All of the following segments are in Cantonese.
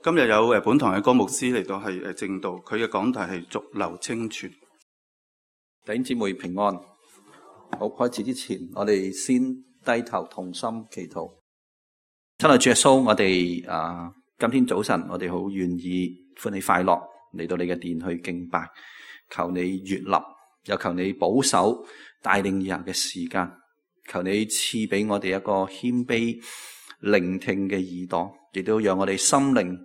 今日有本堂嘅歌牧師嚟到係正道，佢嘅講題係續流清泉。弟兄姊妹平安。好，開始之前，我哋先低頭同心祈禱。親愛主耶穌，我哋今天早晨我哋好願意歡喜快樂嚟到你嘅殿去敬拜，求你悅納，又求你保守帶領以後嘅時間，求你賜俾我哋一個謙卑聆聽嘅耳朵，亦都讓我哋心靈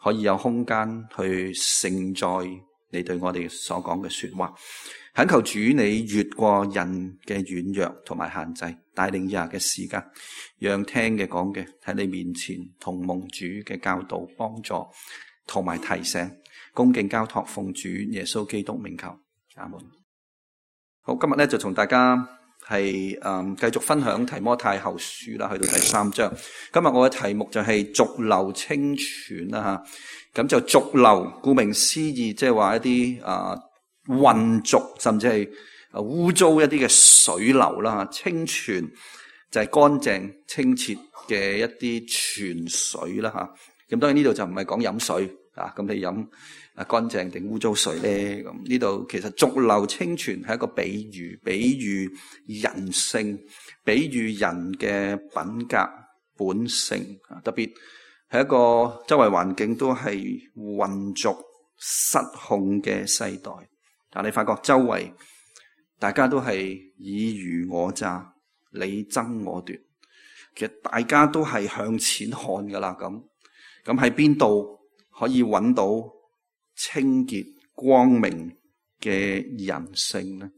可以有空間去承載你對我哋所講嘅說話。懇求主你越過人嘅軟弱同埋限制，帶領以下嘅時間，讓聽嘅講嘅喺你面前同蒙主嘅教導幫助同埋提醒，恭敬交託奉主耶穌基督名求，阿門。好，今日咧就同大家係繼續分享提摩太後書啦，去到第3章。今日我嘅題目就係續流清泉啦吓，咁就續流，顧名思義，即係話一啲混濁甚至係污糟一啲嘅水流啦，清泉就係乾淨清澈嘅一啲泉水啦吓。咁當然呢度就唔係講飲水啊，咁你飲乾淨定污糟水咧？咁呢度其實續流清泉係一個比喻，比喻人性，比喻人嘅品格本性，特別係一個周圍環境都係混濁失控嘅世代。但你發覺周圍大家都係爾虞我詐，你爭我奪，其實大家都係向錢看噶啦。咁喺邊度可以揾到清潔光明嘅人性呢？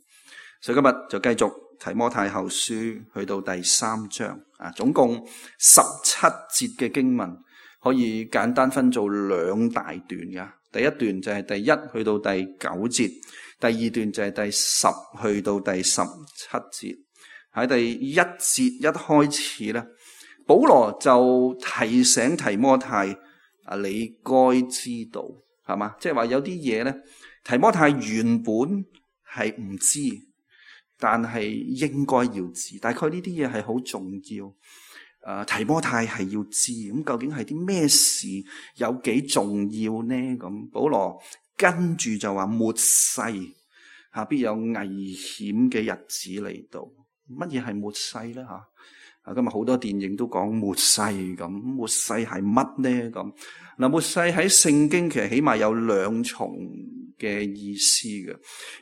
所以今日就繼續提摩太後書去到第3章總共17節嘅經文，可以簡單分做2大段噶。第一段就係第1去到第9節，第二段就係第10去到第17節。喺第1節一開始咧，保羅就提醒提摩太你該知道，係嘛？即係話有啲嘢咧，提摩太原本係唔知，但係應該要知。大概呢啲嘢係好重要。提摩太係要知，咁究竟係啲咩事有幾重要呢？咁保羅跟住就話末世必有危險嘅日子嚟到。乜嘢係末世呢？今日好多電影都講末世，咁末世係乜呢？咁嗱，末世喺聖經其實起碼有2重嘅意思嘅。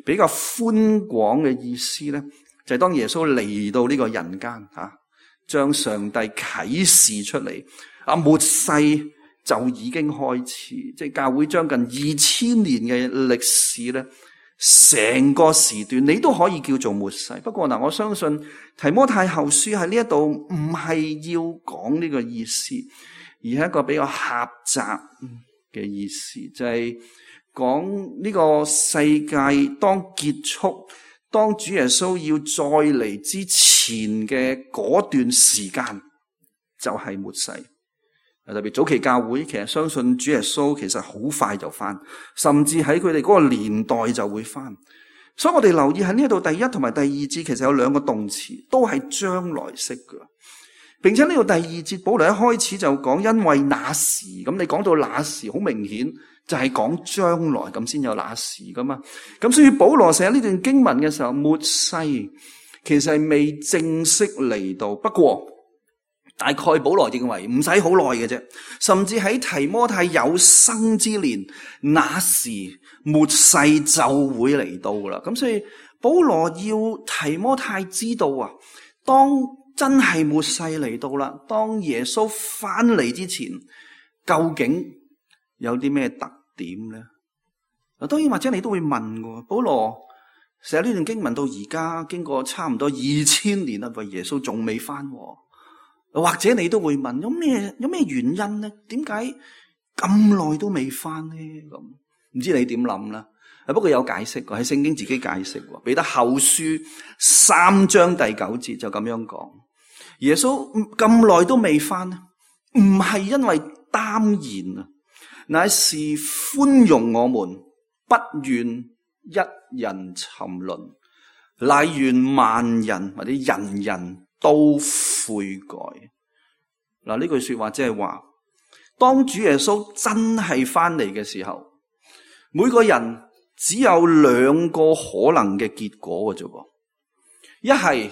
比較寬廣嘅意思呢，就係當耶穌嚟到呢個人間將上帝啟示出嚟，末世就已經開始，即係教會將近2000年嘅歷史咧，成個時段你都可以叫做末世。不過我相信提摩太後書喺呢一度唔係要講呢個意思，而係一個比較狹窄嘅意思，就係講呢個世界當結束，當主耶穌要再嚟之前嘅嗰段時間就係末世。特別早期教會其實相信主耶穌其實好快就返，甚至喺佢哋嗰個年代就會返。所以我哋留意喺呢度第1同埋第2節其實有2個動詞，都係將來式嘅。並且呢度第2節保羅一開始就講因為那時，咁你講到那時好明顯就係講將來咁先有那時噶嘛。咁所以保羅寫呢段經文嘅時候，末世其實係未正式嚟到，不過大概保羅認為唔使好耐嘅啫，甚至喺提摩太有生之年，那時末世就會嚟到噶啦。咁所以保羅要提摩太知道當真係末世嚟到啦，當耶穌翻嚟之前，究竟有啲咩特點呢？當然或者你都會問嘅，保羅寫呢段經文到而家經過差唔多2000年啦，耶穌仲未翻。或者你都會問，有咩原因呢？點解咁耐都未翻呢？咁唔知你點諗啦？不過有解釋過，喺聖經自己解釋過。彼得後書3章第9節就咁樣講：耶穌咁耐都未翻，唔係因為耽延啊，乃是寬容我們，不願一人沉淪，乃願萬人或者人人都悔改。嗱，呢句說話即係話，當主耶穌真係翻嚟嘅時候，每個人只有兩個可能嘅結果嘅啫噃，一係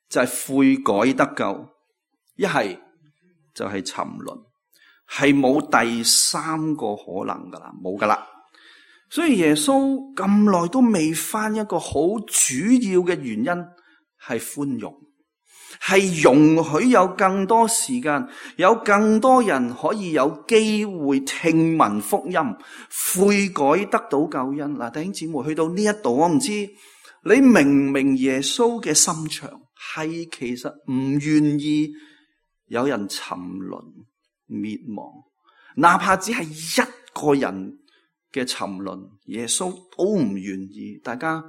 就係悔改得救，一係就係沉淪，係冇第三個可能噶啦，冇噶啦。所以耶穌咁耐都未翻，一個好主要嘅原因係寬容，係容許有更多時間，有更多人可以有機會聽聞福音，悔改得到救恩。嗱，弟兄姊妹，去到呢一度，我唔知你明唔明耶穌嘅心腸，係其實唔願意有人沉淪滅亡，哪怕只係一個人嘅沉淪，耶穌都唔願意。大家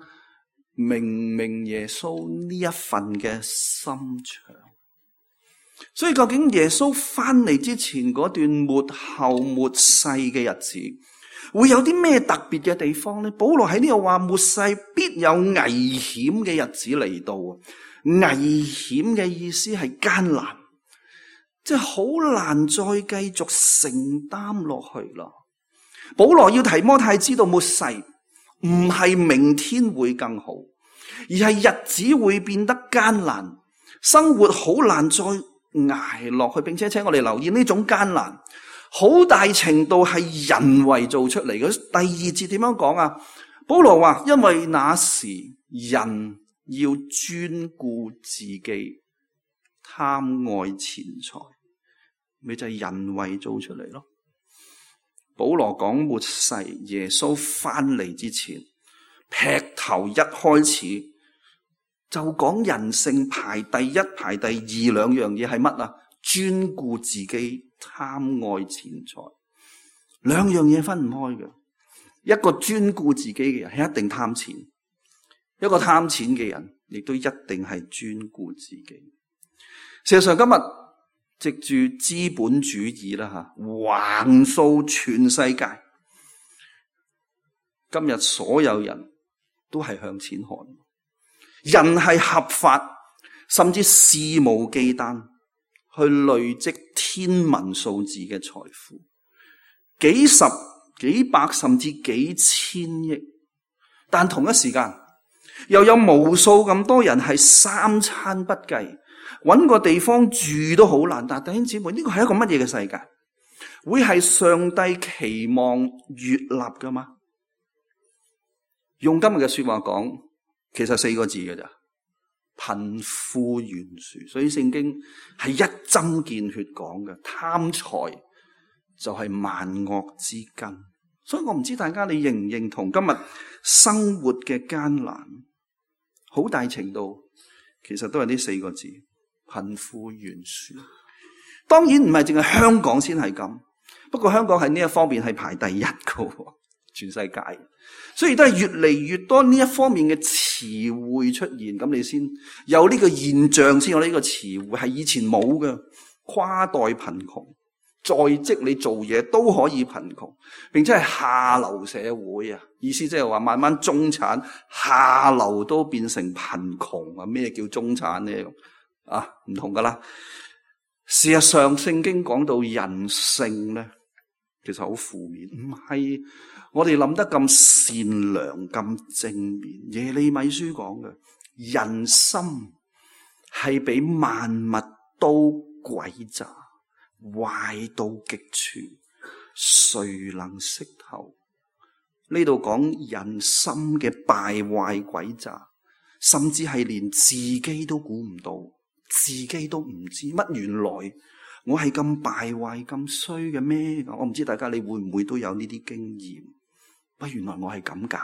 明唔明耶穌呢一份嘅心腸？所以究竟耶穌翻嚟之前嗰段末後末世嘅日子，會有啲咩特別嘅地方呢？保羅喺呢度話末世必有危險嘅日子嚟到。危險嘅意思係艱難，即係好難再繼續承擔落去啦。保羅要提摩太知道末世唔係明天會更好，而係日子會變得艱難，生活好難再捱落去，並且請我哋留意呢種艱難好大程度係人為做出嚟嘅。第二節點樣講啊？保羅話因為那時人要專顧自己，貪愛錢財，咪就係人為做出嚟咯。保羅講末世耶穌翻嚟之前，劈頭一開始就講人性排第一排第二兩樣嘢係乜啊？專顧自己，貪愛錢財，兩樣嘢分唔開嘅。一個專顧自己嘅人係一定貪錢，一個貪錢嘅人亦都一定係專顧自己。事實上今日藉住資本主義啦吓，橫掃全世界，今日所有人都係向錢看，人係合法甚至肆無忌憚去累積天文數字嘅財富，幾十幾百甚至幾千億，但同一時間又有無數咁多人係三餐不繼，搵個地方住都好難。但弟兄姊妹，呢個係一個乜嘢嘅世界？會係上帝期望悅納噶嗎？用今日嘅說話講，其實4個字嘅咋，貧富懸殊。所以聖經係一針見血講嘅，貪財就係萬惡之根。所以我唔知大家你認唔認同今日生活嘅艱難，好大程度其實都係呢4個字，貧富懸殊。當然唔係淨係香港先係咁，不過香港喺呢一方面係排第一個，全世界。所以都係越嚟越多呢一方面嘅詞彙出現，咁你先有呢個現象，先有呢個詞彙，係以前冇嘅。跨代貧窮，在職你做嘢都可以貧窮，並且係下流社會啊！意思即係話慢慢中產下流都變成貧窮啊！咩叫中產呢？啊，唔同噶啦。事實上，聖經講到人性咧，其實好負面，唔係我哋諗得咁善良、咁正面。耶利米書講嘅人心係比萬物都詭詐，壞到極處，誰能識透？呢度講人心嘅敗壞詭詐，甚至係連自己都估唔到，自己都唔知乜原來我係咁敗壞咁衰嘅咩？我唔知大家你會唔會都有呢啲經驗？不，原來我係咁噶。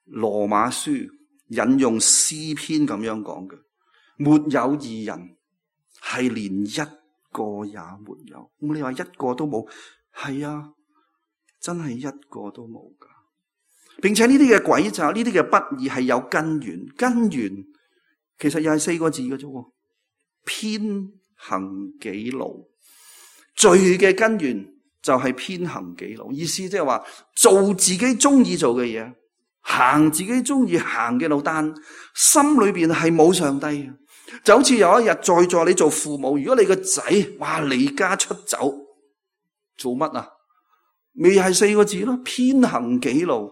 羅馬書引用詩篇咁樣講嘅，沒有義人，係連一個也沒有。咁你話一個都冇，係啊，真係一個都冇噶。並且呢啲嘅詭詐，呢啲嘅不義係有根源，根源其實又係4個字嘅啫，偏行己路。罪嘅根源就係偏行己路，意思即係話做自己中意做嘅嘢，行自己中意行嘅路，但心裏邊係冇上帝嘅。就好似有一日在座你做父母，如果你個仔離家出走，做乜啊？未係4個字咯，偏行己路。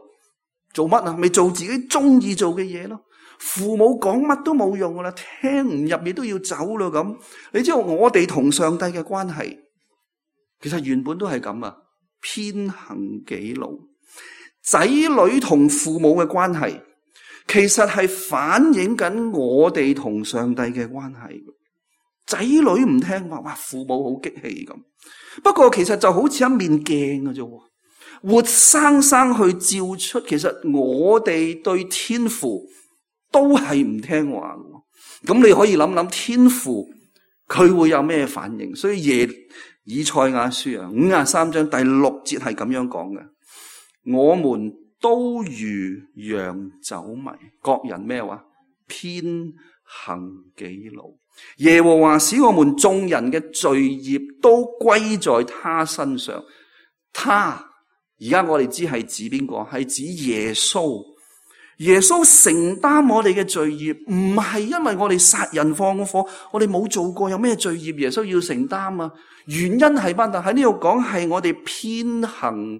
做乜啊？咪做自己中意做嘅嘢咯。父母講乜都冇用噶啦，聽唔入你都要走咯咁。你知道我哋同上帝嘅關係，其實原本都係咁啊，偏行己路。仔女同父母嘅關係，其實係反映緊我哋同上帝嘅關係。仔女唔聽話，哇，父母好激氣咁。不過其實就好似一面鏡嘅啫，活生生去照出，其實我哋對天父都係唔聽話嘅。咁你可以諗諗天父佢會有咩反應？所以以賽亞書啊53章第6節係咁樣講嘅：我們都如羊走迷，各人咩話？偏行己路。耶和華使我們眾人嘅罪孽都歸在他身上。他而家我哋知係指邊個？係指耶穌。耶穌承擔我哋嘅罪孽，唔係因為我哋殺人放火，我哋冇做過，有咩罪孽耶穌要承擔啊？原因係乜？喺呢度講係我哋偏行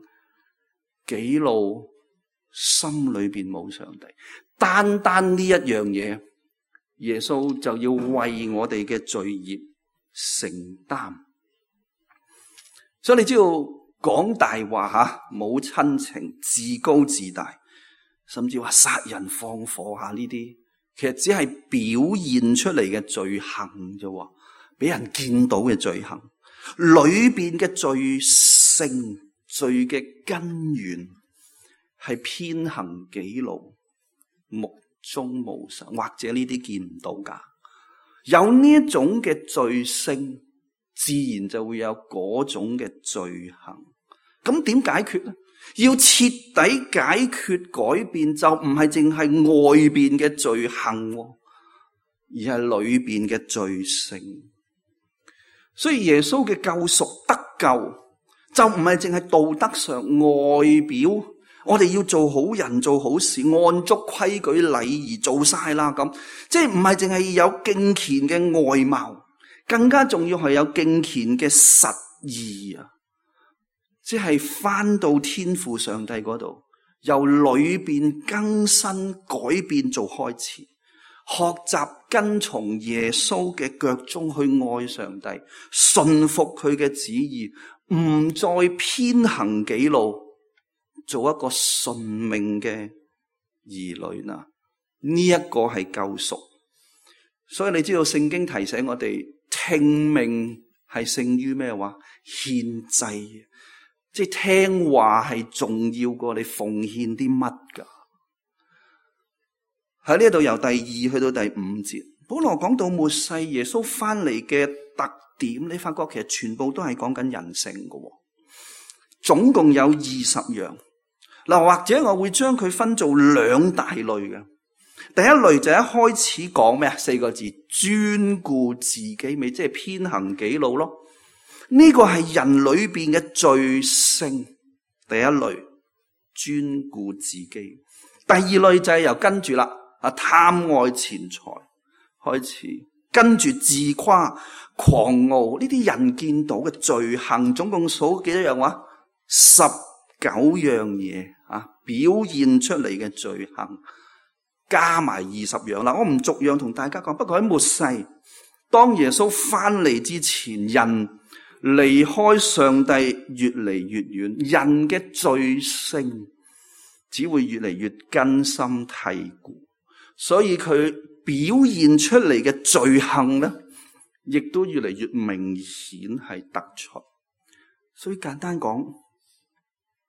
己路，心裏邊冇上帝。單單呢一樣嘢，耶穌就要為我哋嘅罪孽承擔。所以你知道講大話吓，冇親情，自高自大，甚至話殺人放火吓呢啲，其實只係表現出嚟嘅罪行啫，俾人見到嘅罪行。裏邊嘅罪性、罪嘅根源係偏行己路，目中無神，或者呢啲見唔到噶。有呢一種嘅罪性，自然就會有嗰種嘅罪行。咁點解決呢？要徹底解決改變，就唔係淨係外邊嘅罪行，而係裏邊嘅罪性。所以耶穌嘅救贖得救，就唔係淨係道德上外表，我哋要做好人做好事，按足規矩禮儀做晒啦咁，即係唔係淨係有敬虔嘅外貌，更加重要係有敬虔嘅實意啊！即係翻到天父上帝嗰度，由裏邊更新改變做開始，學習跟從耶穌嘅腳蹤去愛上帝，順服佢嘅旨意，唔再偏行己路，做一個順命嘅兒女啦。呢一個係救贖。所以你知道聖經提醒我哋，聽命係勝於咩話？獻祭。即係聽話係重要過你奉獻啲乜噶。喺呢度由第2去到第5節，保羅講到末世耶穌翻嚟嘅特點，你發覺其實全部都係講緊人性噶。總共有20樣。嗱，或者我會將佢分做2大類嘅。第一類就一開始講咩啊？4個字，專顧自己，咪即係偏行己路咯。呢個係人裏邊嘅罪性，第一類專顧自己。第二類就係由跟住啦，貪愛錢財開始，跟住自誇、狂傲呢啲人見到嘅罪行，總共數幾多樣話？19樣嘢啊，表現出嚟嘅罪行，加埋20樣啦。我唔逐樣同大家講，不過喺末世，當耶穌翻嚟之前，人離開上帝越嚟越遠，人嘅罪性只會越嚟越根深蒂固，所以佢表現出嚟嘅罪行咧，亦都越嚟越明顯係突出。所以簡單講，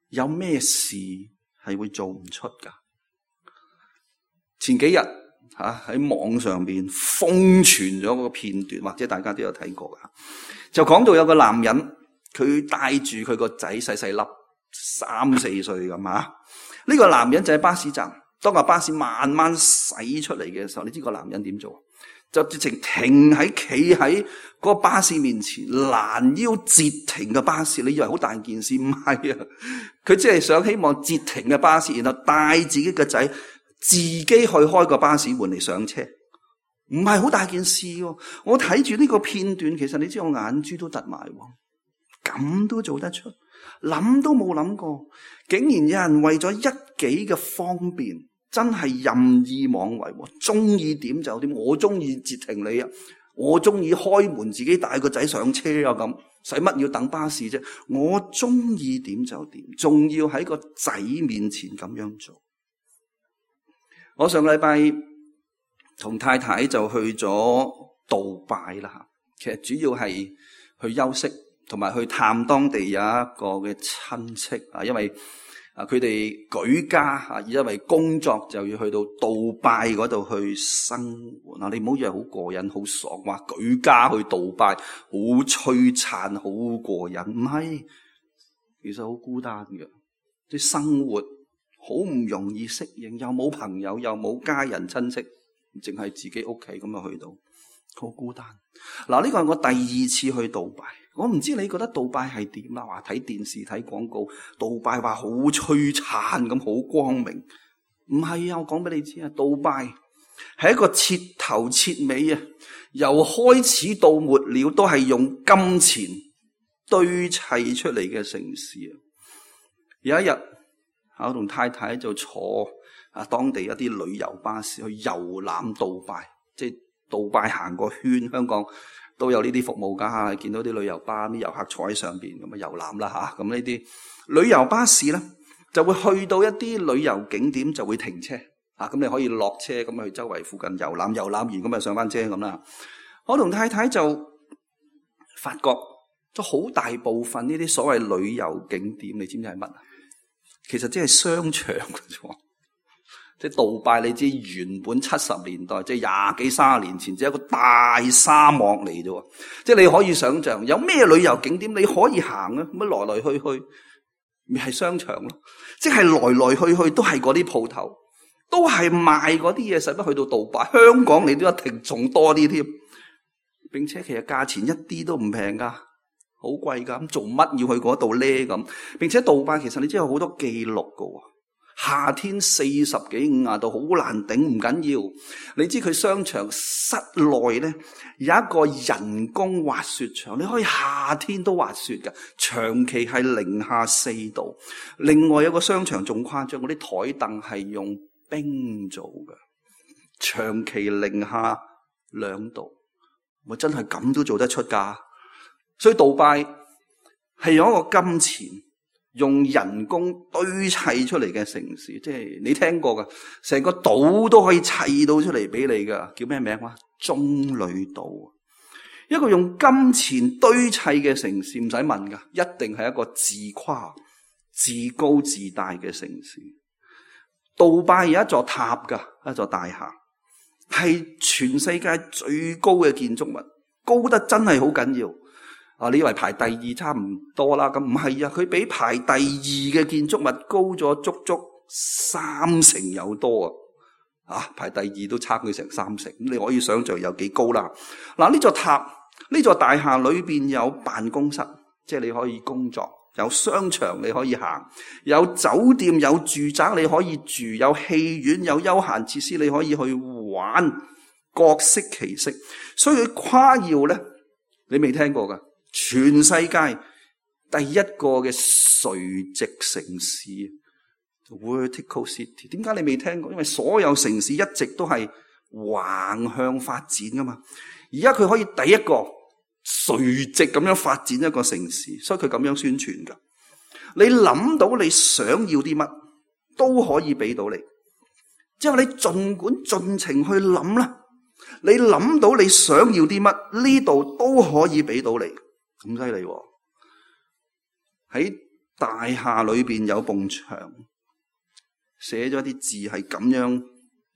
有咩事係會做唔出噶？前幾日喺網上邊瘋傳咗嗰個片段，或者大家都有睇過噶。就講到有個男人，佢帶住佢個仔細細粒3、4歲咁啊。呢個男人就喺巴士站，當個巴士慢慢駛出嚟嘅時候，你知個男人點做？就直情企喺個巴士面前，攔腰截停嘅巴士。你以為好大件事？唔係啊，佢只係想希望截停嘅巴士，然後帶自己嘅仔自己去開個巴士門嚟上車。唔係好大件事喎，我睇住呢個片段，其實你知我眼珠都突埋喎。咁都做得出，諗都冇諗過，竟然有人為咗一己嘅方便，真係任意妄為，中意點就點，我中意截停你啊，我中意開門自己帶個仔上車啊，咁使乜要等巴士啫？我中意點就點，仲要喺個仔面前咁樣做。我上個禮拜同太太就去咗杜拜啦，其實主要係去休息，同埋去探當地有一個嘅親戚啊，因為佢哋舉家啊，因為工作就要去到杜拜嗰度去生活。嗱，你唔好以為好過癮好爽，話舉家去杜拜好璀璨好過癮，唔係，其實好孤單嘅，啲生活好唔容易適應，又冇朋友又冇家人親戚，淨係自己屋企咁啊，去到好孤單。嗱，呢個係我第二次去杜拜，我唔知你覺得杜拜係點啊？話睇電視睇廣告，杜拜話好璀璨咁，好光明。唔係啊，我講俾你知啊，杜拜係一個徹頭徹尾啊，由開始到末了都係用金錢堆砌出嚟嘅城市啊。有一日，我同太太就坐當地一啲旅遊巴士去遊覽杜拜，即係杜拜行個圈，香港都有呢啲服務㗎，見到啲旅遊巴啲遊客坐喺上邊咁啊遊覽啦嚇。咁呢啲旅遊巴士咧就會去到一啲旅遊景點就會停車啊，咁你可以落車咁去周圍附近遊覽，遊覽完咁啊上翻車咁啦。我同太太就發覺咗好大部分呢啲所謂旅遊景點，你知唔知係乜啊？其實即係商場嘅啫。即係杜拜，你知原本70年代，即係20幾30年前，只係一個大沙漠嚟啫。即係你可以想象，有咩旅遊景點你可以行啊？咁來來去去，咪係商場咯。即係來來去去都係嗰啲鋪頭，都係賣嗰啲嘢，使乜去到杜拜？香港你都一定仲多啲添，並且其實價錢一啲都唔平噶，好貴噶。咁做乜要去嗰度咧？咁並且杜拜其實你知有好多記錄噶。夏天40幾50度好難頂，唔緊要。你知佢商場室內咧有一個人工滑雪場，你可以夏天都滑雪嘅，長期係-4度。另外有個商場仲誇張，嗰啲台凳係用冰做嘅，長期-2度。我真係咁都做得出㗎。所以杜拜係用一個金錢，用人工堆砌出嚟嘅城市，即係你聽過㗎，成個島都可以砌到出嚟俾你㗎，叫咩名啊？棕櫚島，一個用金錢堆砌嘅城市，唔使問㗎，一定係一個自誇、自高自大嘅城市。杜拜有一座塔㗎，一座大廈，係全世界最高嘅建築物，高得真係好緊要。你以為排第二差唔多啦？咁唔係啊，佢比排第二嘅建築物高咗足足30%有多啊！排第二都差佢成30%，咁你可以想象有幾高啦。嗱，呢座塔，呢座大廈裏邊有辦公室，即係你可以工作；有商場你可以行；有酒店、有住宅你可以住；有戲院、有休閒設施你可以去玩，各式其式。所以佢誇耀咧，你未聽過噶？全世界第一個嘅垂直城市 Vertical City， 點解你未聽過？因為所有城市一直都係橫向發展噶嘛，而家佢可以第一個垂直咁樣發展一個城市，所以佢咁樣宣傳噶。你諗到你想要啲乜都可以俾到你，之後你盡管盡情去諗啦，你諗到你想要啲乜，呢度都可以俾到你。咁犀利喎！喺大廈裏邊有埲牆，寫咗啲字係咁樣，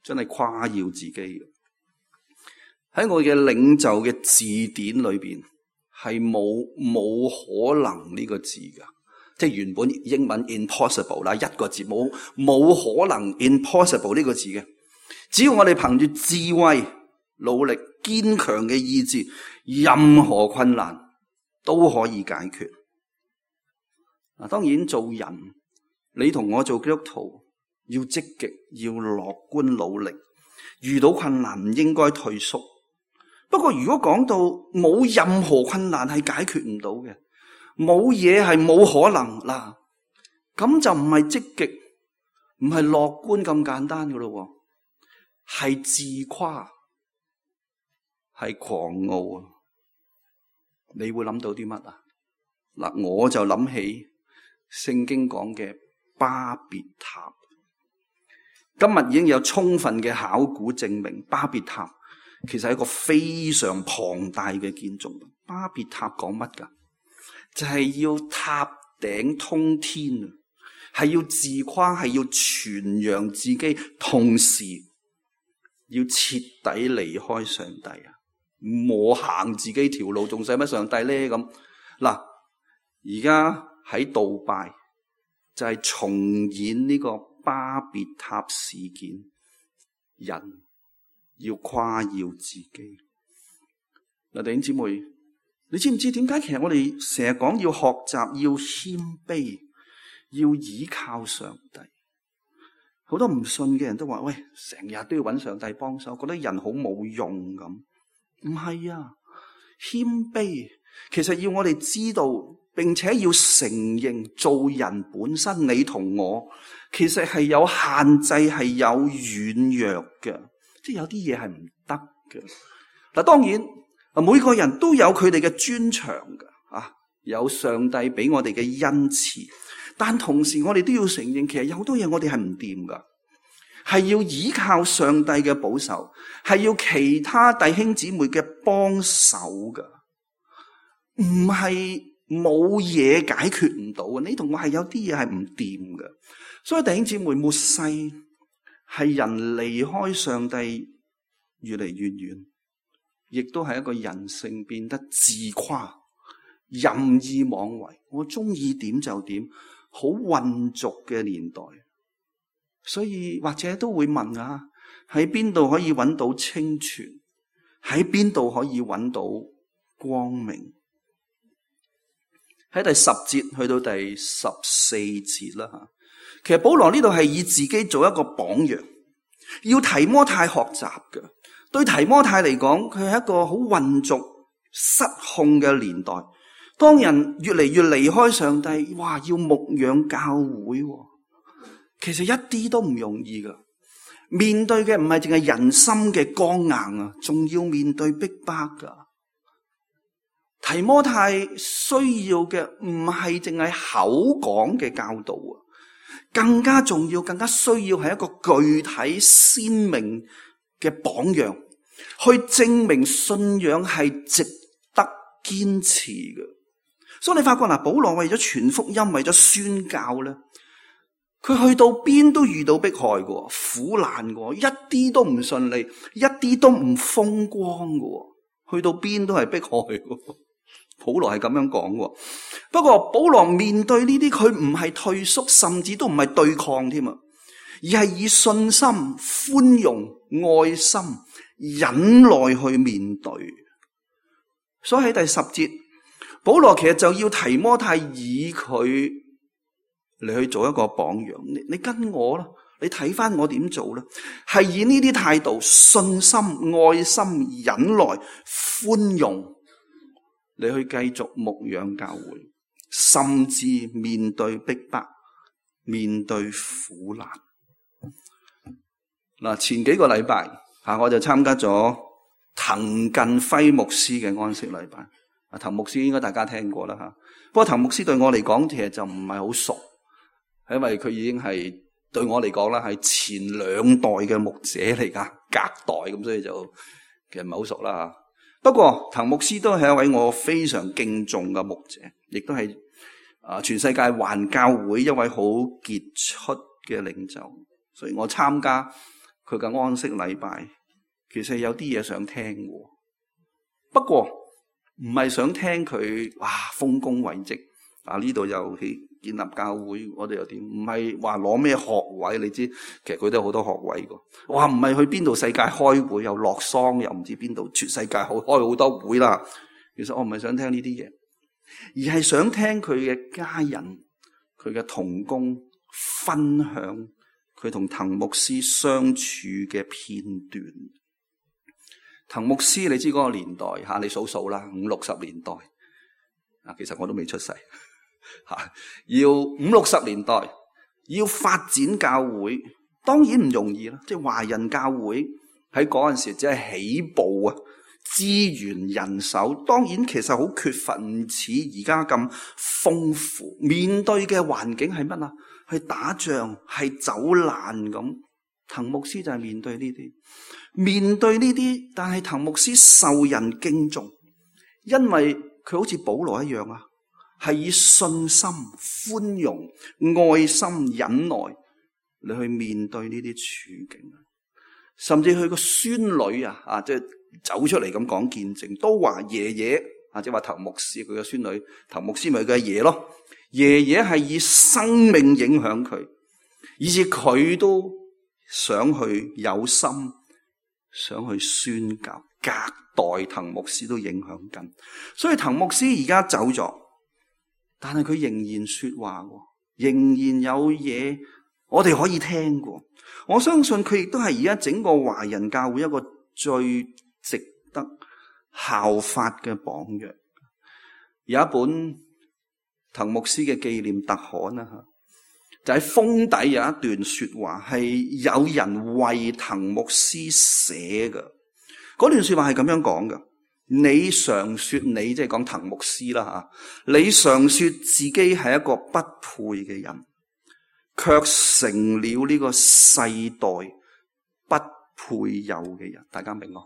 真係誇耀自己嘅。喺我嘅領袖嘅字典裏邊係冇可能呢個字噶，即係原本英文 impossible 啦，一個字冇可能 impossible 呢個字嘅。只要我哋憑住智慧、努力、堅強嘅意志，任何困難都可以解決。當然做人，你同我做基督徒要積極，要樂觀努力，遇到困難唔應該退縮。不過如果講到冇任何困難係解決唔到嘅，冇嘢係冇可能嗱，咁就唔係積極，唔係樂觀咁簡單噶咯，係自誇，係狂傲啊！你會諗到啲乜啊？嗱，我就諗起聖經講嘅巴別塔。今日已經有充分嘅考古證明，巴別塔其實係一個非常龐大嘅建築物。巴別塔講乜噶？就係要塔頂通天啊，係要自誇，係要傳揚自己，同時要徹底離開上帝啊！冇行自己條路，仲使乜上帝咧？咁嗱，而家喺杜拜就係重演呢個巴別塔事件，人要誇耀自己。嗱，弟兄姊妹，你知唔知點解其實我哋成日講要學習，要謙卑，要倚靠上帝？好多唔信嘅人都話：喂，成日都要揾上帝幫手，覺得人好冇用咁。唔係啊，謙卑其實要我哋知道，並且要承認做人本身，你同我其實係有限制，係有軟弱嘅，即係有啲嘢係唔得嘅。嗱，當然每個人都有佢哋嘅專長㗎，有上帝俾我哋嘅恩賜，但同時我哋都要承認，其實有好多嘢我哋係唔掂㗎，係要依靠上帝嘅保守，係要其他弟兄姊妹嘅幫手㗎，唔係冇嘢解決唔到嘅。你同我係有啲嘢係唔掂嘅，所以弟兄姊妹，末世係人離開上帝越嚟越遠，亦都係一個人性變得自誇、任意妄為，我中意點就點，好混濁嘅年代。所以或者都會問啊，喺邊度可以揾到清泉？喺邊度可以揾到光明？喺第10節去到第14節啦。其實保羅呢度係以自己做一個榜樣，要提摩太學習嘅。對提摩太嚟講，佢係一個好混濁、失控嘅年代。當人越嚟越離開上帝，哇！要牧養教會，其實一啲都唔容易噶。面對嘅唔係淨係人心嘅剛硬啊，仲要面對逼迫噶。提摩太需要嘅唔係淨係口講嘅教導啊，更加重要、更加需要係一個具體鮮明嘅榜樣，去證明信仰係值得堅持嘅。所以你發覺嗱，保羅為咗傳福音，為咗宣教咧，佢去到邊都遇到迫害嘅，苦難嘅，一啲都唔順利，一啲都唔風光嘅，去到邊都係迫害嘅。保羅係咁樣講嘅。不過保羅面對呢啲，佢唔係退縮，甚至都唔係對抗添啊，而係以信心、寬容、愛心、忍耐去面對。所以喺第10節，保羅其實就要提摩太以佢嚟去做一個榜樣。你跟我啦，你睇翻我點做啦，係以呢啲態度：信心、愛心、忍耐、寬容，你去繼續牧養教會，甚至面對逼迫、面對苦難。嗱，前幾個禮拜我就參加咗滕近輝牧師嘅安息禮拜。滕牧師應該大家聽過啦吓，不過滕牧師對我嚟講其實就唔係好熟，因為佢已經係對我嚟講啦係前2代嘅牧者嚟噶，隔代咁，所以就其實唔係好熟啦吓。不過滕牧師都係一位我非常敬重嘅牧者，亦都係全世界環教會一位好傑出嘅領袖，所以我參加佢嘅安息禮拜，其實有啲嘢想聽嘅，不過唔係想聽佢豐功偉績呢度又去建立教會，我哋又點？唔係話攞咩學位，你知其實佢都有好多學位㗎。唔係去邊度世界開會，又落桑，又唔知邊度全世界開好多會啦。其實我唔係想聽呢啲嘢，而係想聽佢嘅家人、佢嘅同工分享佢同滕牧師相處嘅片段。滕牧師你知嗰個年代你數數啦，50、60年代其實我都未出世要50-60年代要發展教會，當然唔容易啦。即係華人教會喺嗰陣時只係起步啊，資源人手當然其實好缺乏，唔似而家咁豐富。面對嘅環境係乜啊？係打仗，係走難咁。滕牧師就係面對呢啲，但係滕牧師受人敬重，因為佢好似保羅一樣啊，係以信心、寬容、愛心、忍耐你去面對呢啲處境。甚至佢個孫女即係走出嚟咁講見證，都話爺爺即係話滕牧師佢嘅孫女，滕牧師咪佢嘅爺咯。爺爺係以生命影響佢，以至佢都想去有心，想去宣教，隔代滕牧師都影響緊。所以滕牧師而家走咗，但係佢仍然說話，仍然有嘢我哋可以聽過。我相信佢亦都係而家整個華人教會一個最值得效法嘅榜樣。有一本滕牧師嘅紀念特刊就喺封底有一段說話，係有人為滕牧師寫嘅。嗰段說話係咁樣講嘅：你常說你即係講滕牧師啦你常說自己係一個不配嘅人，卻成了呢個世代不配有嘅人。大家明啊？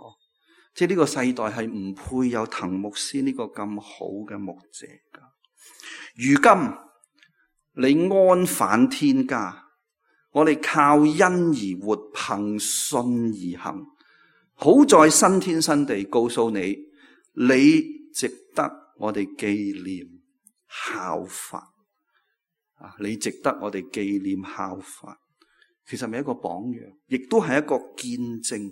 即係呢個世代係唔配有滕牧師呢個咁好嘅牧者噶。如今你安返天家，我哋靠恩而活，憑信而行。好在新天新地告訴你，你值得我哋紀念效法。你值得我哋紀念效法。其實係一個榜樣，亦都係一個見證，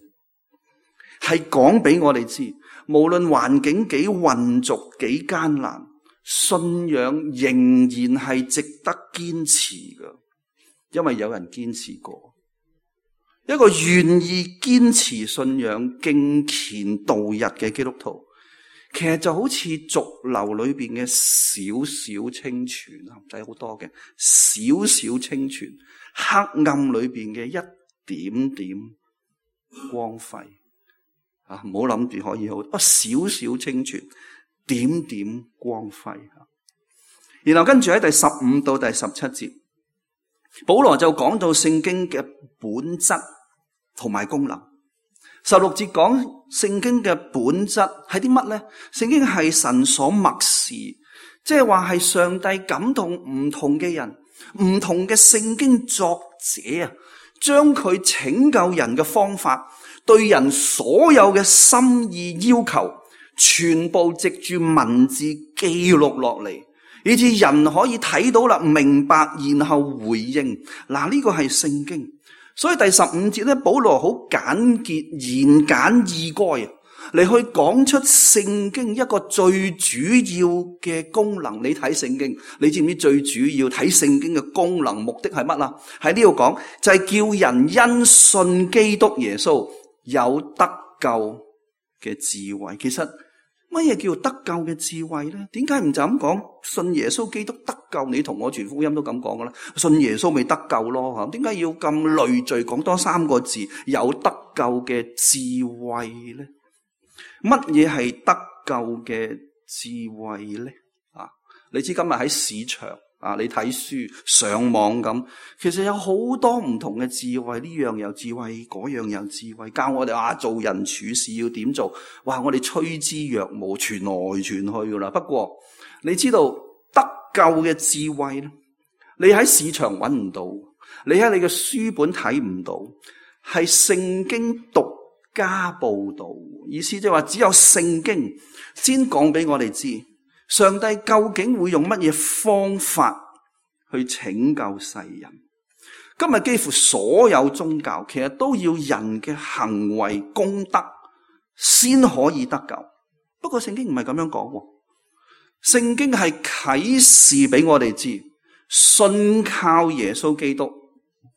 係講俾我哋知，無論環境幾混濁幾艱難，信仰仍然係值得堅持嘅，因為有人堅持過。一個願意堅持信仰、敬虔度日嘅基督徒，其實就好似濁流裏邊嘅少少清泉，唔使好多嘅少少清泉，黑暗裏邊嘅一點點光輝。唔好諗住可以好，少少清泉，點點光輝。然後跟住喺第15到第17節，保羅就講到聖經嘅本質同埋功能。16節講聖經嘅本質係啲乜呢？聖經係神所默示，即係話係上帝感動唔同嘅人，唔同嘅聖經作者將佢拯救人嘅方法，對人所有嘅心意要求，全部藉住文字記錄落嚟，以致人可以睇到啦，明白，然後回應。呢個係聖經。所以第15節咧，保羅好簡潔、言簡意賅嚟去講出聖經一個最主要嘅功能。你睇聖經，你知唔知最主要睇聖經嘅功能目的係乜啊？喺呢度講就係叫人因信基督耶穌有得救嘅智慧。其實乜嘢叫得救嘅智慧咧？點解唔就咁講信耶穌基督得救？你同我傳福音都咁講噶啦，信耶穌咪得救咯？點解要咁累贅講多3個字有得救嘅智慧咧？乜嘢係得救嘅智慧咧？你知今日喺市場你睇書上網咁，其實有好多唔同嘅智慧，呢樣有智慧，嗰樣有智慧，教我哋做人處事要點做。哇！我哋趨之若鶩，傳來傳去噶啦。不過你知道得救嘅智慧咧，你喺市場揾唔到，你喺你嘅書本睇唔到，係聖經獨家報道。意思即係話只有聖經先講俾我哋知，上帝究竟會用乜嘢方法去拯救世人。今日幾乎所有宗教其實都要人嘅行為功德先可以得救。不過聖經唔係咁樣講，聖經係啟示俾我哋知，信靠耶穌基督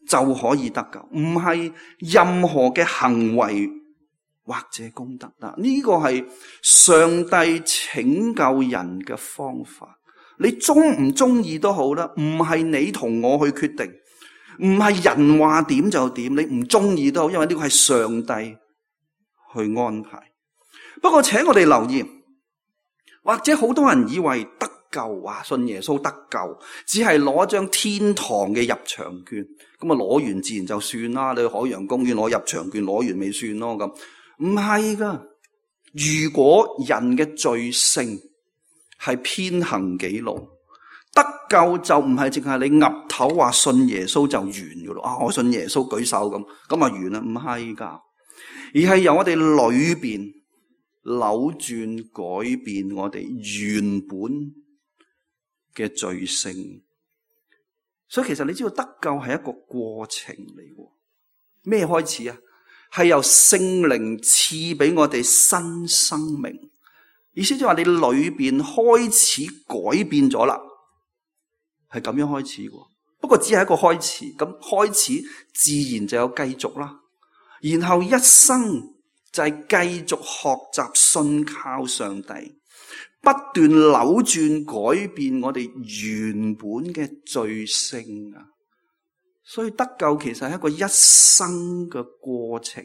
就可以得救，唔係任何嘅行為或者功德。呢個係上帝拯救人嘅方法。你中唔中意都好啦，唔係你同我去決定，唔係人話點就點，你唔中意都好，因為呢個係上帝去安排。不過請我哋留意，或者好多人以為得救，信耶穌得救，只係攞張天堂嘅入場券，咁啊攞完自然就算啦。你去海洋公園攞入場券，攞完咪算咯咁。唔係噶，如果人嘅罪性係偏行己路，得救就唔係淨係你岌頭話信耶穌就完噶咯。我信耶穌舉手咁啊完啦，唔係噶，而係由我哋裏邊扭轉改變我哋原本嘅罪性。所以其實你知道得救係一個過程嚟，咩開始啊？係由聖靈賜俾我哋新生命，意思即係話你裏邊開始改變咗啦，係咁樣開始嘅。不過只係一個開始，咁開始自然就有繼續啦。然後一生就係繼續學習信靠上帝，不斷扭轉改變我哋原本嘅罪性啊！所以得救其實係一個一生嘅過程。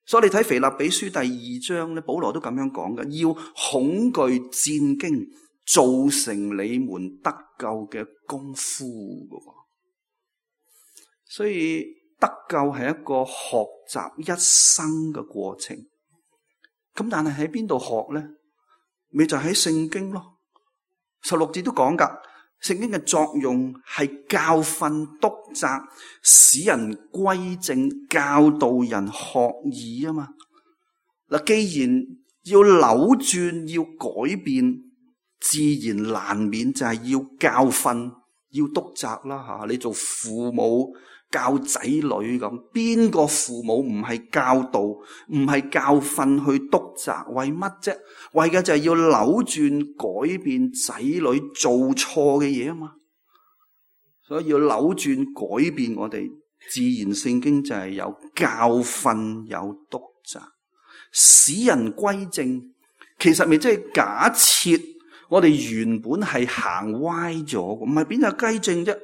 所以你睇腓立比書第2章咧，保羅都咁樣講嘅，要恐懼戰兢，造成你們得救嘅功夫嘅。所以得救係一個學習一生嘅過程。咁但係喺邊度學咧？咪就喺聖經咯。16節都講噶。聖經嘅作用係教訓、督責，使人歸正，教導人學義啊嘛。嗱，既然要扭轉、要改變，自然難免就係要教訓、要督責啦吓。你做父母教仔女咁，邊個父母唔係教導、唔係教訓去督責？為乜啫？為嘅就係要扭轉、改變仔女做錯嘅嘢啊嘛。所以要扭轉、改變我哋，自然聖經就係有教訓、有督責，使人歸正。其實咪即係假設我哋原本係行歪咗，唔係邊有雞正啫？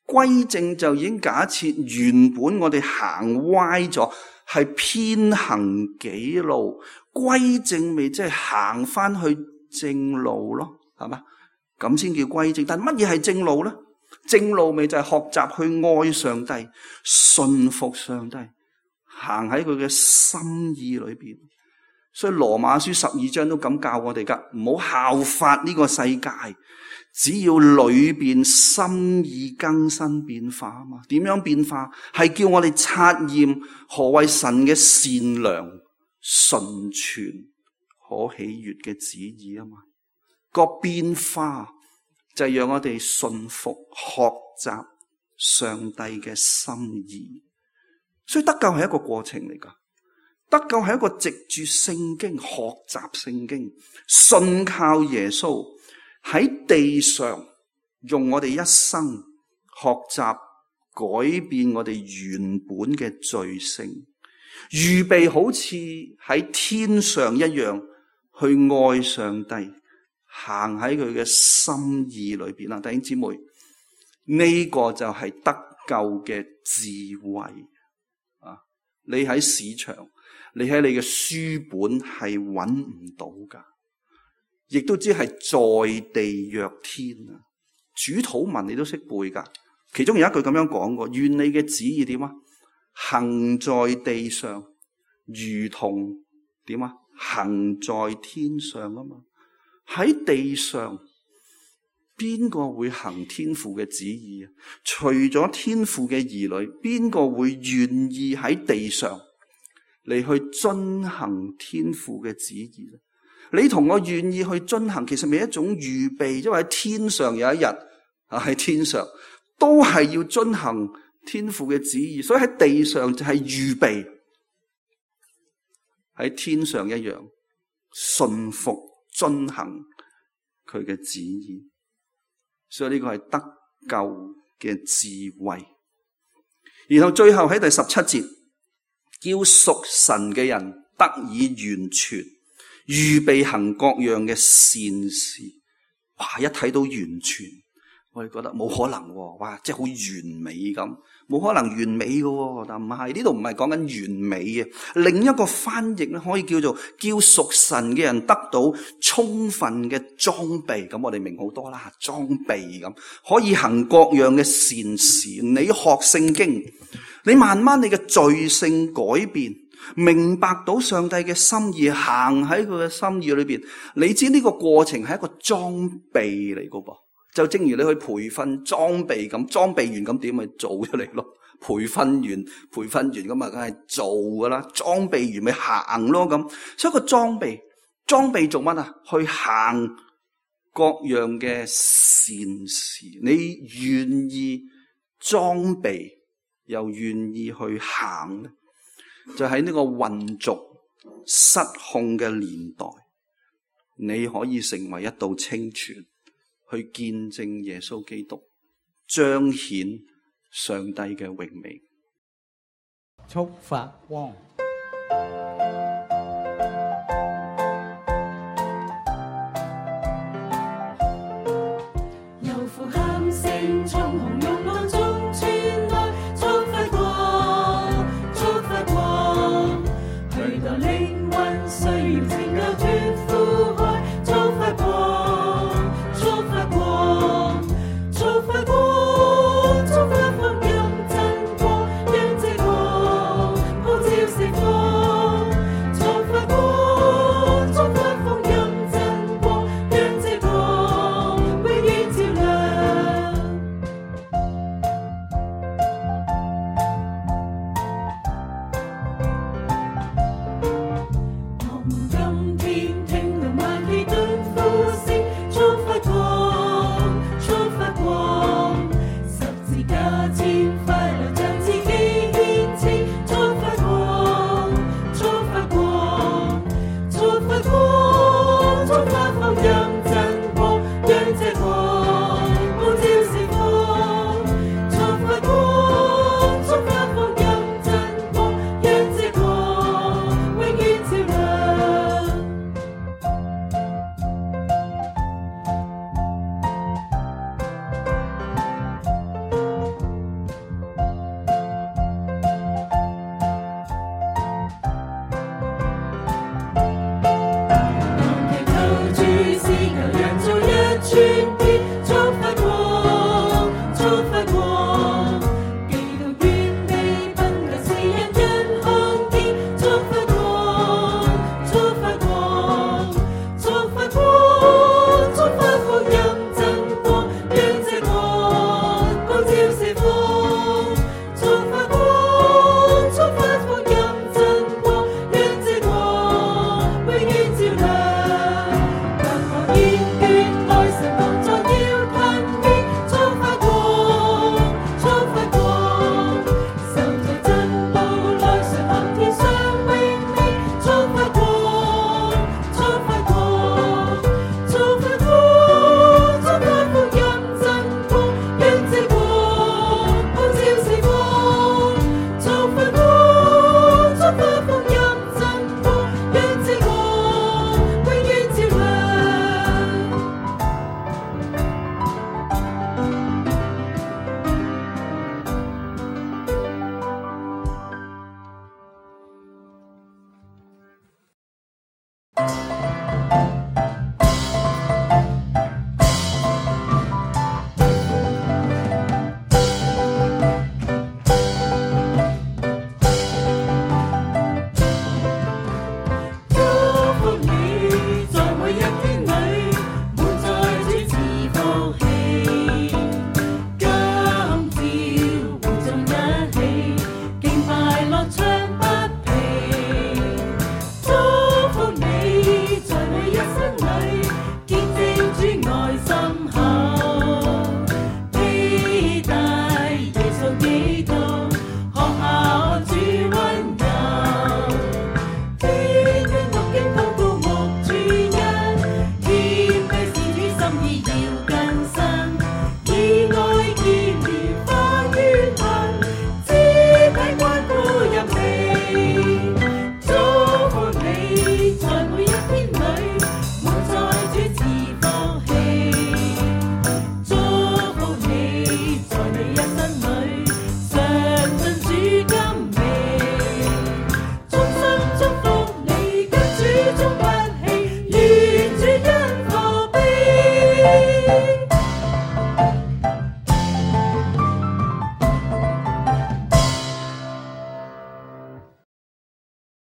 歸正就已經假設原本我哋行歪咗，係偏行己路。歸正咪即係行翻去正路咯，係嘛？咁先叫歸正。但乜嘢係正路咧？正路咪就係學習去愛上帝、信服上帝，行喺佢嘅心意裏邊。所以羅馬書12章都咁教我哋噶，唔好效法呢個世界，只要裏邊心意更新變化啊嘛。點樣變化？係叫我哋察驗何謂神嘅善良、純全、可喜悅嘅旨意啊嘛。個變化就係讓我哋信服、學習上帝嘅心意。所以得救係一個過程嚟噶。得救係一個藉住聖經學習聖經，信靠耶穌喺地上用我哋一生學習改變我哋原本嘅罪性，預備好似喺天上一樣去愛上帝，行喺佢嘅心意裏邊啦。弟兄姊妹，呢個就係得救嘅智慧啊！你喺市場，你喺你嘅書本係揾唔到噶，亦都知係在地若天啊！主禱文你都識背噶，其中有一句咁樣講過：願你嘅旨意點啊？行在地上，如同點啊？行在天上啊嘛！喺地上，邊個會行天父嘅旨意啊？除咗天父嘅兒女，邊個會願意喺地上嚟去遵行天父嘅旨意咧？你同我願意去遵行，其實係一種預備，因為喺天上有一日啊，喺天上都係要遵行天父嘅旨意，所以喺地上就係預備，喺天上一樣順服遵行佢嘅旨意。所以呢個係得救嘅智慧。然後最後喺第17節叫屬神嘅人得以完全，預備行各樣嘅善事。哇！一睇到完全，我哋覺得冇可能喎，哇！即係好完美咁，冇可能完美嘅，但唔係，呢度唔係講緊完美嘅。另一個翻譯咧，可以叫做叫屬神嘅人得到充分嘅裝備。咁我哋明好多啦，裝備咁可以行各樣嘅善事。你學聖經，你慢慢你嘅罪性改變，明白到上帝嘅心意，行喺佢嘅心意裏邊，你知呢個過程係一個裝備嚟噶噃。就正如你去培訓裝備咁，裝備完咁點咪做出嚟咯？培訓完咁啊，梗係做噶啦。裝備完咪行咯咁。所以個裝備做乜啊？去行各樣嘅善事。你願意裝備又願意去行咧？就喺呢個混濁失控嘅年代，你可以成為一道清泉，去見證耶穌基督，彰顯上帝嘅榮美。速發光，有呼喊聲從紅勇岸中傳來，速發光，速發光，許多靈魂需要拯救脫苦海，速發光，速發光，速發光，速發福音真光，讓這光普照四方，速發光，速發福音真光，讓這光永遠照亮。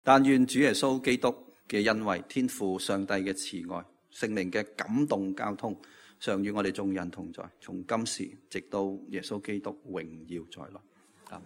但願主耶穌基督嘅恩惠、天父上帝嘅慈愛、聖靈嘅感動交通，常與我哋眾人同在，從今時直到耶穌基督榮耀再來。